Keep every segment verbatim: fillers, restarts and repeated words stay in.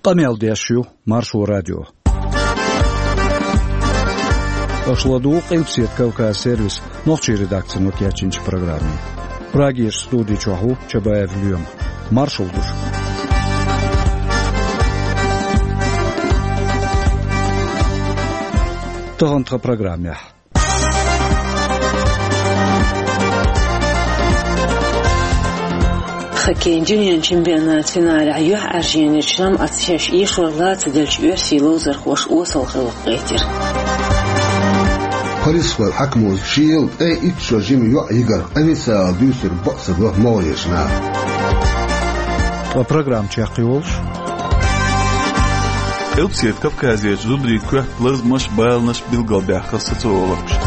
Къамел деш ю Маршо радио. Аша ладугӀу Къилбаседа Кавказ сервисан нохчийн редакцино кечйинчу программе. Прагерчу студи чохь ву Чабаев Лоьма. Маршалла ду шуьга. Тахана тхан программехь. Хоккейн дуьненан чемпионатан финалехь юьхьӀаьржонечу жамӀаташа шаьш эшор лаца деллачу оьрсийн ловзархоша осал гӀиллакх гӀоьртира. Парисхойн хьаькамаша шел ткъе итт шо жима йоӀ йигар официалан дуьйцург бакъ ца до могӀарерчу наха. Ткъа программа чекхйолуш. Къилбаседа Кавказерчу зударийн коьрта лазамаш а, баланаш а билгалбаьккхира социологаша.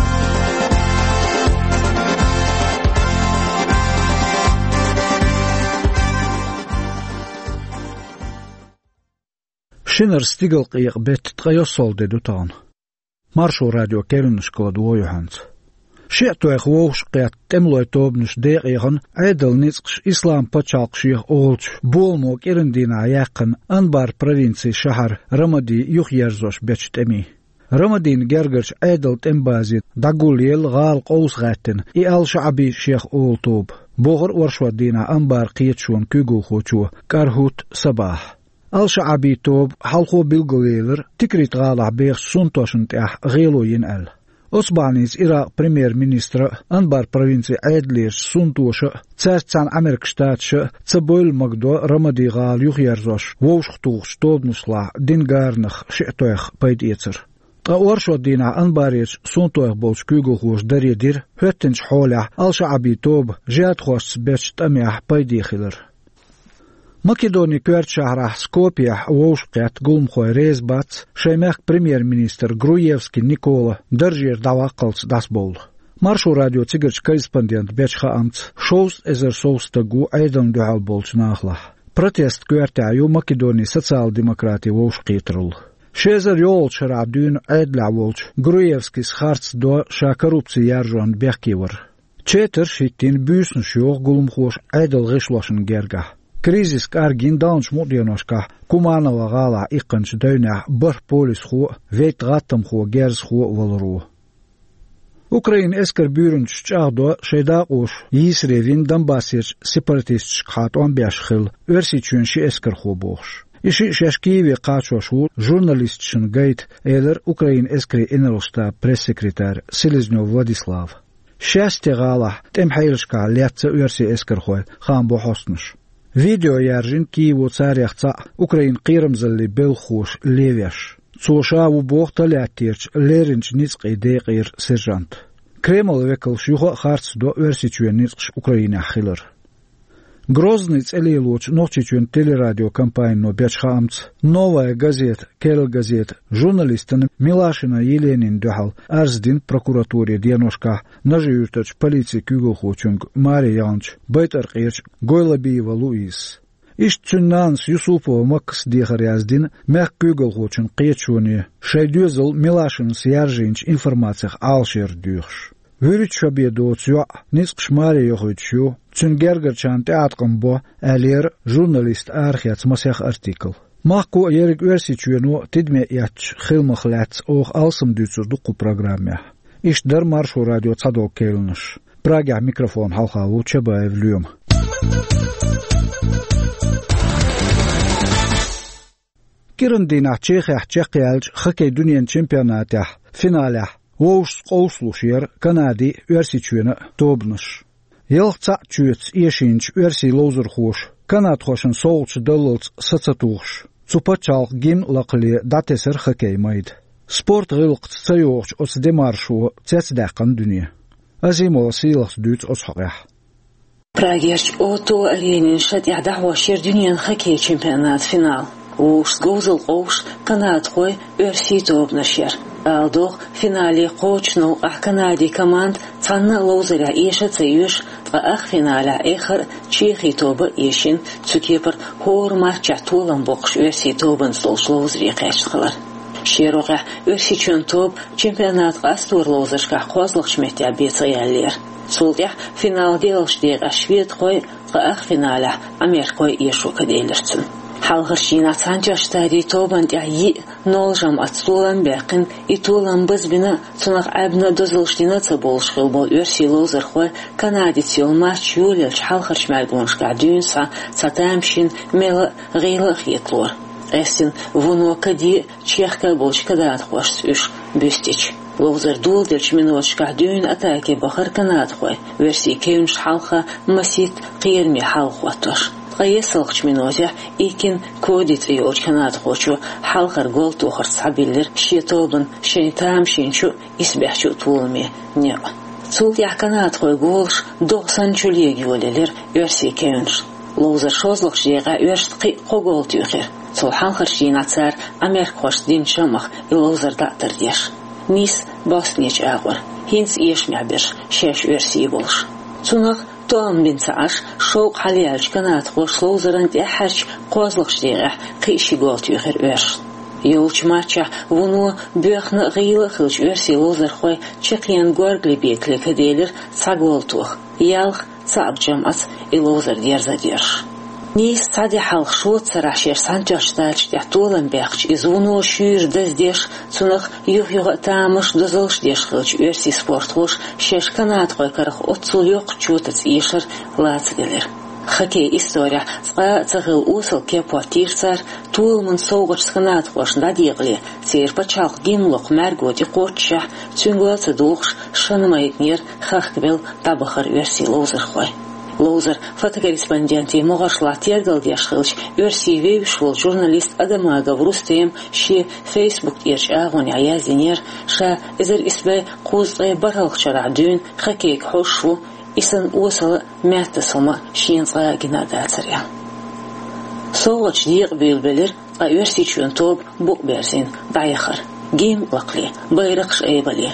Шинара стигалкъекъа беттан ткъе йоьссалгӀа де ду тахана. Маршо радион керланашка ладогӀа юьхьанца. Шиъ тойх вовшахкхетта тӀемалойн тобанаш декъехана Ӏедалан ницкъаша Ислам пачхьалкх шех олучу боламо кӀиран дийнахь яьккхина Анбар провинцин шахьар Рамади юхаерзош бечу тӀемийн. Рамадина гергарчу Ӏедалан тӀеман базе дӀагулъелла гӀала къовса гӀаьттина и Ал-ШаӀаби шех олу тоба, бохура оршот дийнахь Анбар кхеташонан куьйгалхочо КӀарахӀут Сабахьа. Ал-ШаӀаби тоба хьалхо билгалъелира Тикрит гӀалахь бехачу сунтошна тӀехь гӀело йина аьлла. Оцу бахьаница Иракъан премьер-министра а, Анбар провинцин Ӏедалерчу сунтоша а, цаьрца цхьаьна Ӏамеркан Штаташа а ца бевлла магадо Рамади гӀала юхаерзош вовшахтухучу тобанашлахь дина гаранах шиъ тойх пайдаэцар. Ткъа оршот дийнахь Анбарерчу сунтойх болчу куьйгалхоша даре дира хӀоьттинчу хьолехь Ал-ШаӀаби тоба жихӀадхошца бечу тӀамехь пайде хилар. Македонин коьртачу шахьарахь Скопьехь вовшахкхетта гуламхой реза бац шайн мехкан премьер-министр Груевский Никола даржера дӀаваккхалц дӀасабовла. Маршо радион цигарчу корреспондента бечу хаамца, шовзткъа эзар сов стаг ву Ӏедална дуьхьал болчу нахалахь. Протестан коьртехь ю Македонин социал-демократийн вовшахкхетаралла. Ши эзар йоллучу шарахь дуьйна Ӏедалехь волчу Груевскис харц до ша коррупци яржонна бехке вар. Четарш хӀиттийна буьйсанаш йоху гуламхоша Ӏедалан гӀишлошна гергахь. Кризис кӀаргйина далначу мукъа деношкахь Куманово гӀалахь иккхинчу девнехь бархӀ полисхо а, вейтта гӀаттамхо, герзахо а валаро. Украинан эскаран буьйранчаш чӀагӀдо шайн дакъоша йийсаре вина Донбассерчу сепаратисташкахьа тӀом беш хилла Оьрсийчоьнан ши эскархо бохуш. И шиъ шаьш Киеве кхачош ву журналисташна гайта, элира Украинан эскарийн инарла штабан пресс-секретарь Селезнёв Владислава. Шаьсте гӀалахь тӀеман хьелашкахь лецна оьрсийн эскархой, хаам бо хьостанаша. Видео яьржина Киево царех цхьаъ Украинан кхерамзаллин белхахоша левеш. Цо ша ву боху Тольяттерчу лерринчу ницкъийн декъера сержант. Кремлан векалш юха а харц до Оьрсийчоьнан ницкъаш Украинехь хилар. Грозный цӀе лелочу Нохчийчоьнан телерадиокомпанино бечу хаамца, «Новая газета», «Керла газета» журналистана Милашина Еленина дуьхьал арз дина прокуратуре деношкахь Нажи-Юьртарчу полицин куьйгалхочуьнга маре яханчу БайтӀаркъерчу Гойлабиева Луизас. Иштта цуьнан нанас Юсупова Маккас дехар яздина мехкан куьйгалхочун кхеташоне, шайн доьзал Милашинас яржийначу информацех Ӏалашъяр доьхуш. ВуьрхӀитта шо бен доцу йоӀ ницкъаша маре йохуьйтуш ю, цуьнан гергарчарна тӀеӀаткъам бо, аьллера журналиста арахеца масех артикл. Махко а, ерриг Оьрсийчоьно а тидаме эцначу хиламах лаьцна оха алсам дуьйцур ду кху программехь. Иштта дара Маршо радион цхьадолу керланаш. Прагехь микрофон хьалха ву Чабаев Лоьма. КӀиран дийнахь Чехехь чекхъяьллачу хоккейн дуьненан чемпионатехь финалехь вовшашца къовсалуш яра Канадин а, Оьрсийчоьнан а тобанаш. Ялх цхьаъ чоьца эшийначу оьрсийн ловзархоша канадхошна совгӀаташ даллалц са ца тухуш, цу пачхьалкхан гимн а лакхале дӀатесира хоккейн майда. Спорт гӀиллакхца ца йогӀучу оцу демаршо цецдаьккхина дуьне. Азимова Сийлахьас дуьйцу оцу хьокъехь. Прагерчу О два Аренин шатӀехь дӀахьош яра дуьненан хоккейн чемпионатан финал. Вовшашца говзалла къовсуш канадхойн, оьрсийн тобанаш яра. Ала догӀу, финале кхочушна новкъахь Канадин команда цхьанна а ловзарехь эша а ца оьшу, ткъа ах финалехь эххар а Чехин тоба а эшийна, цу кепара хӀора матчехь толам боккхуш оьрсийн тобанца долчу ловзаре кхаьчна хилар. Шен рогӀехь Оьрсийчоьнан тоба чемпионатан къастор ловзаршкахь кхозлагӀчу меттехь бен ца яьллера. Цул тӀаьхьа финалан доьалгӀачу декъехь шведхой, ткъа ах финалехь америкхой эшо каделира цунна. Хьалхарчу дийнахь Цхьаьнатоьхначу Штатийн тобанна тӀехь йиъ ноль жамӀатца толам баьккхина, и толам базбина, цунах Ӏаьбна дозаллаш дина а ца бовлуш хилла болу оьрсийн ловзархой Канадица йолу матч йолаелча хьалхарчу мӀаьргонашкахь дуьйна схьа цхьа тамашийна мела а, гӀийла а хеталора. Къаьстина вуно каде а, чехка а болчу канадхошца уьш буьстича. Ловзар доладеллачу миноташкахь дуьйна атаке бахара канадхой, оьрсийн кевнашна хьалха масийтта кхераме хьал хӀоттош. Ткъа ессалгӀачу минотехь Икин Коди цӀе йолчу канадхочо хьалхара гол тохарца схьабиллира шен тобанна шайн тамашийначу а, исбаьхьчу а толаме некъ. Цул тӀаьхьа канадхойн голаш догӀа санна чулега йолаелира оьрсийн кевнашна. Ловзаран шолгӀачу декъехь оьрсаша кхин а кхо гол туьйхира. Цул хьалхарчу дийнахь цара Ӏамеркахошца динчу жамӀах и ловзар дӀа а тардеш. Нийсса Бостонерчу агӀор, хӀинца эшамехь берш, шаьш оьрсий болуш. Цунах тоам бина ца Ӏаш, шовкъ хьалаяьллачу канадхоша ловзаран тӀаьххьарчу кхозлагӀчу декъехь кхин а ши гол туьйхира оьрсашна. Йолчу матчехь вуно боьхна а, гӀийла а хиллачу оьрсийн ловзархойн чекхъенна Горгали Бекале каделира цхьа гол тоха, ялх цхьаъ жамӀаца и ловзар дерза а дерзош. Нийсса цхьа де хьалха шоццарахь шаьш Цхьаьнатоьхначу Штаташна тӀехь толам баьккхича, иза вуно шуьйра даздеш, цунах юх-юха а тамаш, дозаллаш деш хиллачу оьрсийн спортхоша шаьш канадхойн карах оццул йоккхачу чотаца эшар лацаделира. Хоккейн исторехь цкъа а ца хилла осал кеп хӀоттийра цара, толаман совгӀаташца канадхошна дӀадекъале, церан пачхьалкх гимн локху мӀаьрго тӀекхоччушехь, цуьнга ла а ца духуш, шина майданера хахкабелла дӀабахара оьрсийн ловзархой. Ловзаран фотокорреспондентийн могӀаршлахь тергалдеш хиллачу оьрсийн вевзаш волчу журналиста Адамагов Рустема шен Facebook тӀерачу агӀонехь яздинера, ша эзар исс бӀе кхузткъе бархӀалгӀачу шарахь дуьйна хоккейга хьожуш ву, и санна осала а, маьттаза хӀума а шена цкъа а гина а дацара аьлла. СовгӀаташ декъабуьйлабелира, ткъа Оьрсийчоьнан тоба букъ берзийна дӀаяхара. Гимн лакхале, байракхаш айбале,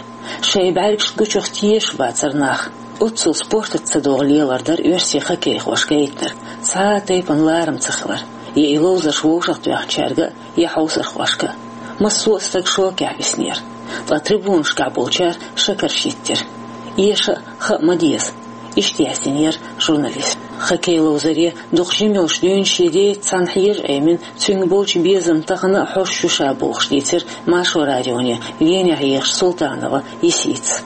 шайн бӀаьргашна гучух тешаш бацара нах. Оццул спортаца ца догӀу лелар дара оьрсийн хоккейхоша гайтинарг, цхьа а тайпана ларам ца хилар, я и ловзарш вовшахтоьхначаьрга а, я хьовсархошка а. Массо а стаг шокехь виснера, ткъа трибунашкахь болчара шакарш йиттира. Эша а, хаа а ма деза, иштта яздинера журналиста. Хоккей ловзаре дукха жима йолуш дуьйна шен деца цхьаьна хьежа Ӏемина, цуьнга болчу безамна тахана а хьожуш ю ша бохуш, дийцира Маршо радионе Венехь ехачу Султанова Есийцас.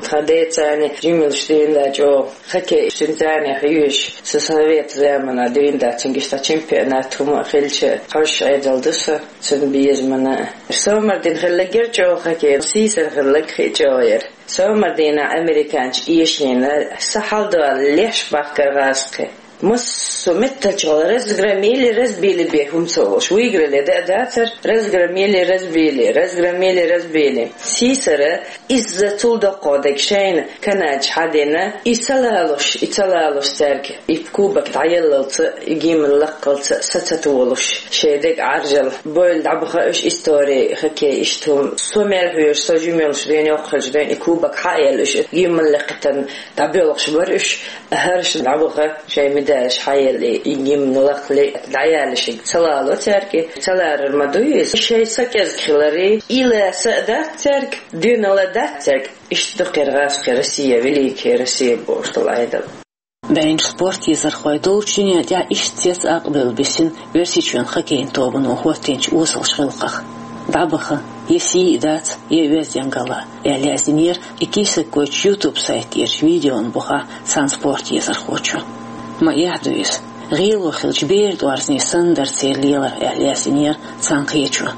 Тхан деца цхьаьна жима йолуш дуьйна чӀогӀа хоккей, цуьнан цхьаьна хьоьжуш, сан совет заманахь дуьйна дац, цуьнга иштта чемпионат хӀума а хилча, хьожуш Ӏедал ду со цуьнан безамна а. Со мардина хилларг яра чӀогӀа хоккей, сийсара хилларг хи а чӀогӀа яра. Со мардина американчу эшнина, сан хьалдолу леш бахкара гӀазкхи. Массо а меттачу гӀала разгромили, разбили бен хӀума ца волуш. Выиграли да а дацара, разгромили, разбили, разгромили, разбили. Сийсара, изза цул доккхо дерг шайна канадча хьадина, и ца лалуш, и ца лалуш цаьрга, и кубок дӀаяллалца, и гимн лакхалца са ца толуш, шайн дерг Ӏаржал бойла дӀабаха уьш истори хоккей иштта хӀума. Со мел хьоьжуш, со жима йолуш дуьйна, йоккха хилча дуьйна, и кубок хьа а елла уьш, гимн лекхитан дӀабоьлхуш бара уьш, хӀорш дӀабаха, шайн медалаш хьаелли, и гимн лакхале, дӀаяьлла шига ца лало цаьрга, ца ларар ма дуй иза. Шайн са кӀезиг хилари, и лаьса а дац цаьрга, дуьнала дац цаьрга. Иштта ду кхера гӀазкхи Россия, великая Россия бохуш долу Ӏедал. БӀенчу спорт езархой долчу дуьнен тӀехь иштта цец акъбевлла бисина Оьрсийчоьнан хоккейн тобано хӀоттийначу осалчу гӀиллакхах. ДӀабаха, я сий а дац, я оьздангалла, аьлла яздинера и кийсаккойчу YouTube сайта тӀерачу видеон бухахь цхьана спорт езархочо. Ма эхь ду иза. ГӀело хилча, бер тӀорзне санна дара церан лелар, аьлла яздинера цхьана кхечо.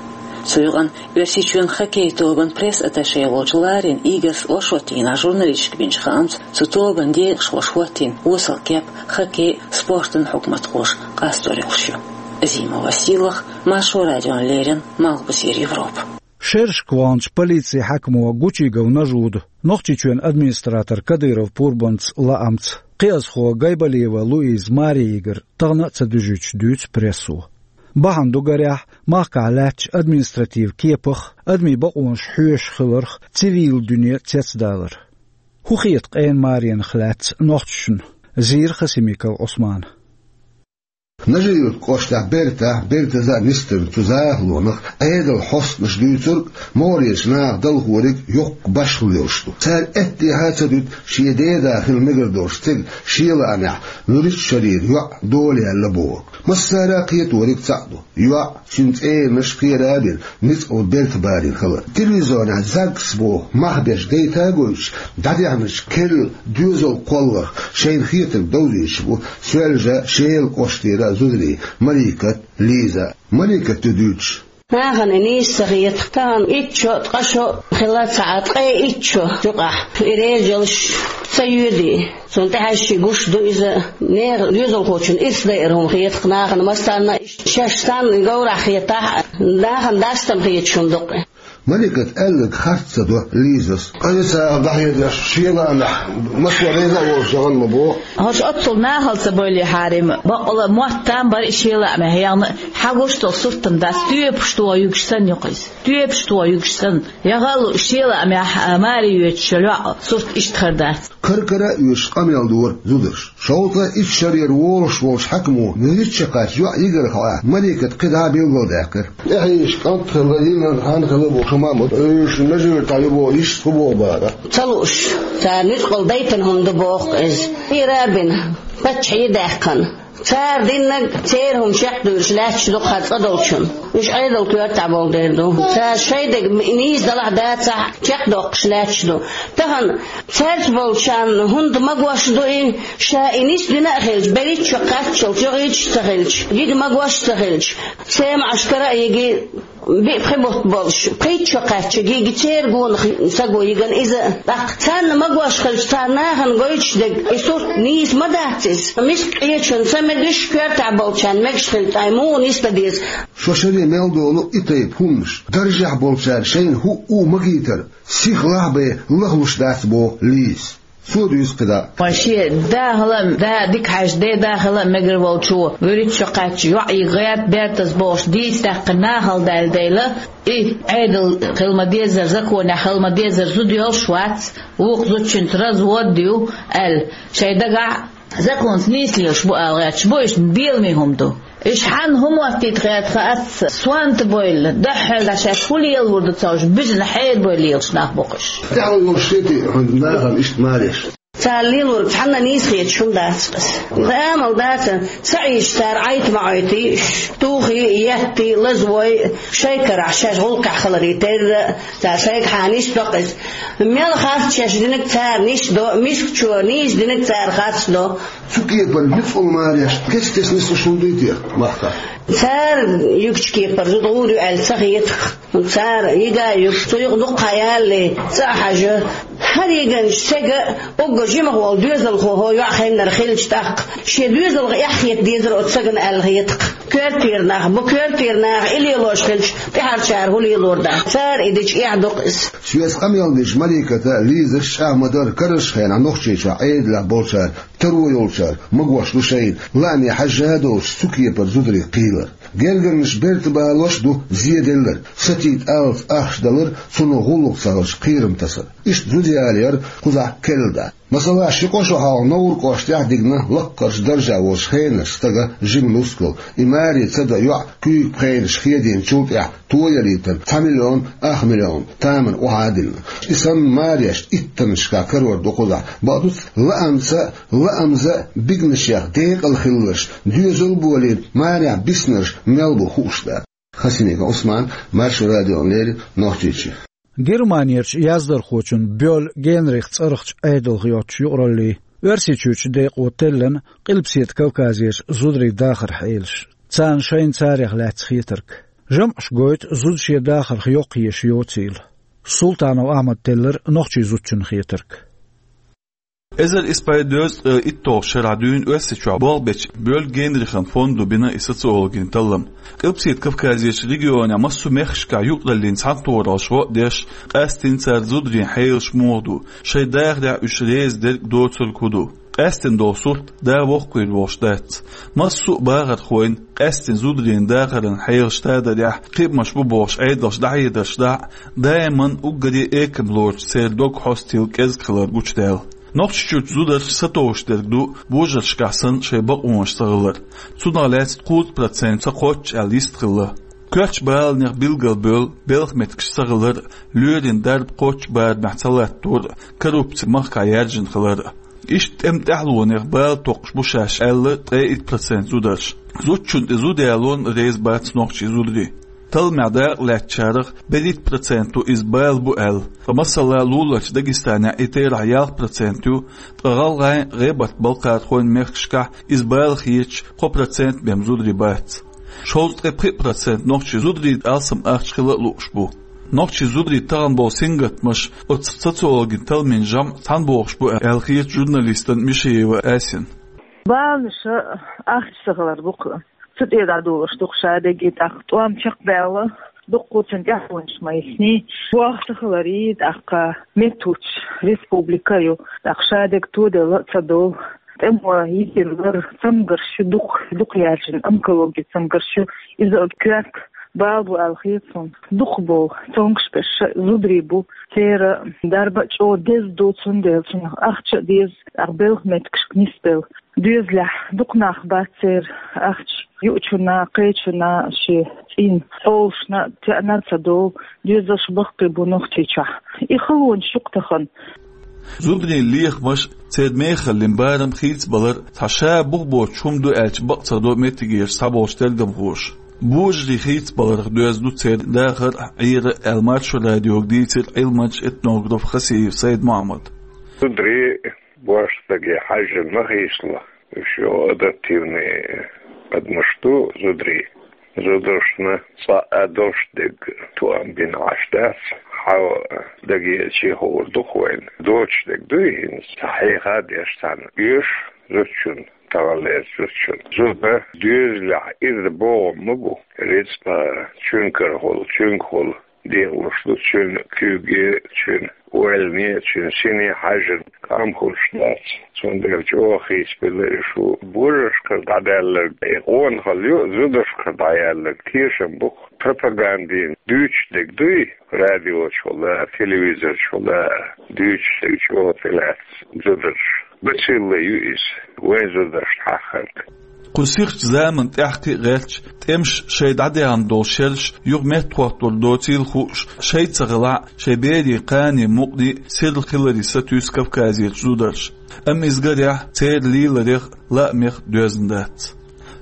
Цу юкъана Оьрсийчоьнан хоккей тобан пресс-атташе волчу Ларин Игорьс оршот дийнахь журналисташка бинчу хаамца, цу тобан декъашхоша хӀоттийна осал кеп хоккей а, спортан а хьукматхоша къастор йолуш ю. Азима Василах, Маршо радиона леррина, Малхбузера Европа. Шерашка ваханчу полицин хьаькамо Гучигов Нажуда, Нохчийчоьнан администратор Кадыров Пурбанца лаамца, кхиазхо Гайбалиева Луиза маре йигар тахана а ца дуьжуьйтуш дуьйцу прессо. Бахьана ду, гарехь, махкахь лаьттачу административан кепах, адамийн бакъонаш хьоьшуш хиларх цивилан дуьне цецдалар. ХӀун хета къена маренах лаьцна нохчашна? Зийра Хасимиков Ӏусмана. Нажи-Юрт кӀоштахь бертахь, бертаза а нисдина цу захалонах Ӏедалан хьостанаша дуьйцург, могӀарерчу наха далхориг йоккха башхалла йолуш ду. Цара аьттехьа а ца дуьту шен деда хила мегар долуш цигахь шен лаамехь вуьрхӀитта шарера йоӀ дола яьлла бохург. Массара а кхеториг цхьаъ ду: йоӀ, цуьнан цӀеранаш, кхера а бина, ницкъала берта барийна хилар. Телевизионехь ЗАГС боху мах беш гайта а гойтуш, дӀадехначу керла доьзалан кхолларх шайна хетарг довзуьйтуш бу Соьлжа-Шелан кӀоштера зударий Маликат, Лиза. Маликата дуьйцу. Нахана и нийса ца хета, тахана итт шо, ткъа шо хилла ца Ӏа, ткъе итт шо юкъахь и резалш ца йоьдий. Цунна тӀехьаьжча гуш ду иза, нехан доьзалхочунна ирс дайар хӀума хета-кх нахана массарна а, шаьш санна говрахь хетахь а, нахана дастам хеташ хӀума ду-кх и. Маликата аьлларг харц ца до Лизас. Къа ца дӀахьедеш, шен лаамехь массо а реза а волуш, жагӀана ма боху. ХӀорш оццул нахала ца бойли хьарим, бакъала мотт там бара и шен лаамехь яхна, хьан гуш долу сурт-м дац, тоьпаш тоха юьгуш санна ю-кх иза. Тоьпаш тоха юьгуш санна. ЯгӀал шен лаамехь, а, маре йоьдуш йолу йоӀ сурт иштта хир дац. Кара-кара а оьшуш къамел дора зударша. Шовзткъе итт шарера волуш волчу хьаькамо вуьрхӀитта шо кхаьчча йоӀ йигарх Ӏа Маликата кхидӀа а билгалдаьккхира. ТӀехьийзаш кӀант хилла, йиллина хан хилла боху, шу ма а ма ду, оьшуш Нажи-Юртахь ю боху, иштта хӀун боху бара. Ца лууш, цара ницкъала дайтина хӀума ду боху иза. Кхера а бина, паччахье а даьккхина. Цара диннарг церан хӀума чекхдуьйлуш лаьтташ ду-кх хӀара цӀа долчунна. Уьш Ӏедалан коьртехь болу дела ду. Цара шайн дерг нийса далахь а, дацахь а чекхдоккхуш лаьтташ ду. Тахана цаьрца болчарна хӀунда магош ду и, ша и нисдина а хилча, берхӀитта шо кхаччалц, йогӀуьйтуш а ца хилча, йига магош а ца хилча, семьяш кара а йигий, биъ-пхи бутт болуш, пхийтта шо кхаьчча, йига церан гонах са го йигана иза. ТӀаккха царна магош хилча, царна нахана гойтуш дерг и сурт нийса ма дац иза. Миска къечунна ца мегаш, коьртехь болчарна мегаш хилча, ткъа муха нисдан деза? Шо шаре мел долу и тайпа хӀуманаш даржехь болчара шайна хӀуъу магийтар сихлахь а бен лахлуш дац, боху Лизас. Цо дуьйцу кхидӀа. Вайн шен да хила а, да дика хьаьжча, деда хила а мегар волчо вуьрхӀитта шо кхаьчча йоӀ йига гӀерта бертаза бохуш дийца даьккхина нахала даьлла дела, и Ӏедал хила ма-дезара, законехь хила ма-дезара зуда йолуш вац, вукху зудчуьнца развод ю аьлла, шайн дагахь а законца нийса лелаш бу ала гӀерташ бу, иштта беламе хӀума ду. Иштта хьанна хӀун моттийта гӀерта хаац, сонта бойла, дуьххьара шаьш хӀун лелалур ду ца хууш, буьзна хьерабой лелаш нах бу-кх уьш. ТӀаьхьо йолуш хетий хьуна нахана иштта мареш? Цара лелориг цхьанна а нийса хеташ хӀума дац-кх иза. Амал дац, ца Ӏийча цара Ӏайта ма Ӏойтий, тухий, еттий, лазавой, шайн карахь шаьш гӀуллакхехь хиларе терра, цара шайгахьа нисдо-кх иза. Мел харц шаьш динарг цара нисдо, мискачо нийса динарг цара харцдо. Цу кепара ницкъала мареш кест-кеста нислуш хӀума дуй те махкахь? Цара юьгучу кепара зуда гӀур ю аьлла ца хета-кх. Цара йига а юьгу, цу юкъа дукха хан ялале, цӀа а хьажа. ХӀара йигначу стеган а уггар жимах волу доьзалхо хӀокху йоӀа хеннара хилча, тӀаккха шен доьзалх эхь хета дезара оцу стагана аьлла хета-кх. Коьртера нах бу, коьртера наха и лелош хилча, тӀаьхьарчара хӀун лелор дац. Цара и дича эхь ду-кх иза. Соьца къамел дечу Маликата, Лизас чӀагӀ ма-дарра, карарчу хенахь Нохчийчохь Ӏедалехь болчара, таро йолчара магош ду шайна, лааме хьаьжжа а долуш, цу кепара зударий кхийлар. Гергарнаш берта балош а ду зеделларг, сатийта аллаца ахча далар, цунах гӀуллакх ца хилча кхерам тасар. Иштта зуда ялаяр кхузахь керла дац. Масала, ши-кхо шо хьалха Новр кӀоштахь а дигна лаккхарчу даржехь волчу хенарчу стага жима нускал, и маре ца дан йоӀ куьйга пхенаш хедийначул тӀаьхьа тоялийтар цхьа миллион, ах миллион тамана охьа а диллина. И санна мареш иттаннашкахь карор ду кхузахь. Бакъ ду-кх, лаамца, лаамза а бигнашех декъала хилларш, доьзал а болийна, марехь биснарш мел бу хууш дац. Хасимиков Ӏусман, Маршо радиона леррина, Нохчийчоь. Германерчу яздархочун Бёль Генрих цӀарахчу Ӏедалх йоцучу юкъараллин Оьрсийчуьрчу декъо теллина Къилбаседа Кавказерчу зударийн дахаран хьелаш, царна шайна царех лаьцна хетарг. ЖамӀаш гойту зуда шен дахарх йоккха езаш йоцийла. Султанов Ахьмада теллира нохчийн зудчун хетарг. Эзар исс бӀе дезткъе итталгӀачу шарахь дуьйна Оьрсийчохь болх бечу Бёль Генрихан фондо бина и социологийн таллам. Къилбаседа Кавказерчу регионехь массо а мехкашкахь юкъараллин цхьаьнатохараллаш гӀо а деш, къаьсттина цара зударийн хьелаш муха ду, шайн дахарехь уьш реза дерг а, доцург хӀун ду. Къаьсттина долу сурт да воккхавийр волуш дац. Массо а бахархойн, къаьсттина зударийн дахаран хьелаш тадарехь, кхиамаш бу бохуш Ӏедалша дӀахьедарш дахь а, даиман уггаре а экама лоручу церан дог хьостийла кӀезиг хилар гучудаьлла. Нохчийчуьрчу зударша сатовш дерг ду божаршкахь санна шайн бакъонаш ца хилар. Цунах лаьцна кхузткъа процент ца кхоччуш аьлла йист хилла. Коьртачу баланех билгалбевлла белхан меттигаш ца хилар, лоьрийн дарба кхоччуш барамехь ца латтор, коррупци махкахь яьржина хилар. Иштта тӀеман тӀаьхьалонех бала токхуш бу шаьш аьлла ткъе итт процент зударша. Зудчунна тӀе зуда ялонна реза бац нохчийн зударий. Талламехь дакъа лаьцначарах берхӀитта проценто иза бала бу аьлла, ткъа масала луларчу Дагестанехь и терахь ялх процент ю, ткъа гӀалгӀайн, гӀебарт-балкхархойн мехкашкахь иза бала хеташ кхо процент бен зударий бац. Шовзткъе пхиъ процент нохчийн зударий алсам ахча хила а лууш бу. Нохчийн зударийн тахана болу сингаттамаш оцу социологийн талламийн жамӀ цхьаьна богӀуш бу аьлла хета журналистана Мишиева Асина. Баланаш ахча ца хилар бу-кх. Цу тӀе дӀадолуш ду-кх шадерг, и тӀаккха тӀом чекхбаьлла, дуккха цуьнан тӀаьхьалонаш ма йисний, боху ца хиларий, тӀаккха меттахӀуттуш республика ю, тӀаккха шадерг тоделла а ца долу. ТӀемо йисина лар, цамгарш ю, дукха, дукха яьржина онкологин цамгарш ю, иза коьрта бала бу аьлла хета суна. Дукха болу цомгуш берш зударий бу, церан дарба а чӀогӀа деза ду, цундела цунах ахча а деза, тӀаккха белхан меттигашка нисбелла. Доьзалехь дукха нах бац церан ахча юучунна, кхечунна, шен цӀийнан хьолашна теанар а ца долу доьзалш баккхий бу Нохчийчохь. И халонаш ю-кх тахана. Зударийн лехамаш, церан мехаллин барам хийцабалар цхьа ша бух боцуш хӀума ду аьлча бакъ ца до меттигерчу цхьаболчу тергамхоша. Божарий хийцабаларх доьзна ду церан дахар а, Ӏер а аьлла, Маршо радиога дийцира Ӏилманча, этнограф Хасиев Сайд-Мохьмада. Зударий божаршка хьаьжжина ма хийцало. Уьш адаптивный адамаш ду зударий. Зударшна цкъа а долуш дерг тоам бина Ӏаш дац. Хьан дагеачий хуур ду-кх вайна. Доцуш дерг дуй хӀинца, хьеха а деш цхьаьна оьшу зудчунна, таханлерчу зудчунна. Зуда доьзалехь ирс богӀам ма бу. Рицкъа чуьнгахула, чуьнгахула декъалуш ду, цуьнан куьйге, цуьнан ойлане, цуьнан сине хьаьжжина къам хуьлуш дац. Цундела чӀогӀа хийцабелла и шу. Божаршкара дӀадаьлларг, и къонахалла ю, зударшкара дӀаяьлларг тешам бу-кх. Пропагандина дуьйцуш дерг дуй, радиочухула, телевизорчухула дуьйцуш дерг чӀогӀа тӀелаьцна зударша. Бацилла ю иза, вайн зударшна хьаххарг. Кху сихачу заманан тӀаьхьа кхин а гӀерташ, тӀемаш, шайн дӀадаьхна долу шераш юха меттахӀоттор доцийла хууш, шайца ца хилахь а, шайн берийн, кханийн мукъаний сирла хиларе сатуьйсу Кавказерчу зударша. Амма иза, гарехь, церан леларех а, лаамех а доьзна дац.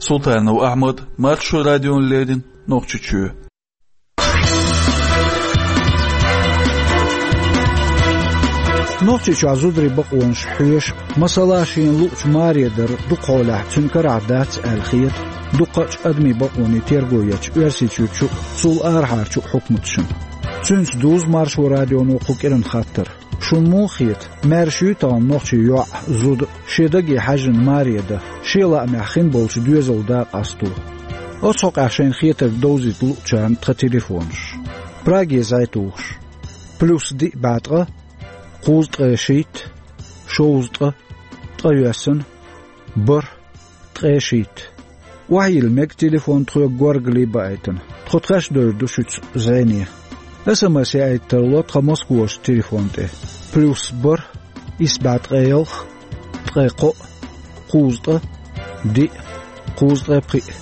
Султанов Ахьмад, Маршо радиона леррина, Нохчийчоь. Нохчийчохь зударийн бакъонаш хьоьшу, масала, шена луучу маре дар дукха хьолахь цуьнан карахь дац аьлла хета дукхачу адамийн бакъонийн терго ечу Оьрсийчуьрчу а, цул арахьарчу а хьукматашна. Цуьнца дузу Маршо радионо кху кӀиран хаттар. Шуна муха хета, маьрша юй тахана нохчийн йоӀ, зуда шен даге хьаьжжина маре дан, шен лаамехь хин болчу доьзалан да къасто? Оцу хьокъехь шайна хетарг довзийта луучарна тхан телефонаш. Праге зӀе тухуш: плюс диъ бӀе ткъа, кхузткъе шийтта, шовзткъа, ткъайоьсна, бархӀ, ткъе шийтта. Охьайилла мега телефон тхоьга горгали баийтина. Тхо тхаьш довр ду шуьца зӀене. СМС яийта тарло тхан Москварчу телефон тӀе: плюс бархӀ, исс бӀе ткъе ялх, ткъе кхоъ, кхузткъа, диъ, кхузткъе пхиъ.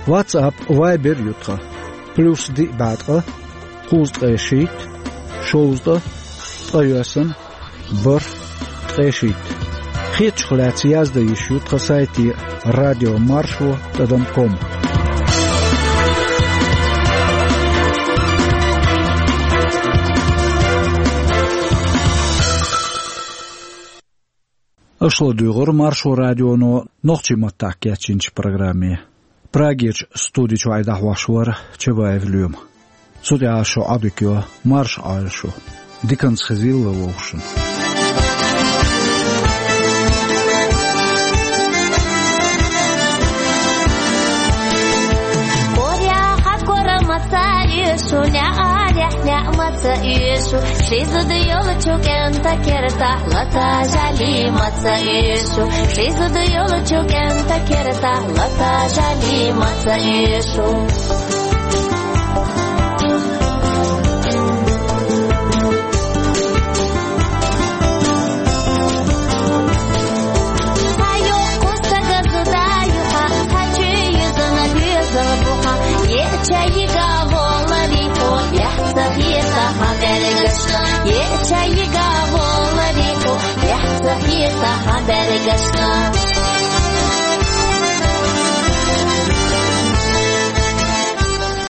WhatsApp, Viber ю тхан: плюс диъ бӀе ткъа, кхузткъе шийтта, шовзткъа, ткъайоьсна, бархӀ, ткъе шийтта. Хетачух лаьцна яздан йиш ю тхан сайте: радио маршо тӀадам ком. Аша ладуьйгӀура Маршо радионо нохчийн маттахь кечйинчу программе. Прагерчу студи чуьра дӀахьош вара Чабаев Лоьма. Цу тӀехь шун Ӏодика йо, марша Ӏойла шу. Диканца хезийла вовшашна. Коря хьа кора ма ца оьшу, неӀарехь неӀ ма ца оьшу. Ши зуда йолчу кӀентан кертахь лата жали ма ца оьшу. Ши зуда йолчу кӀентан кертахь лата жали ма ца оьшу. Е чайига воларику, е цахита хабаргашка.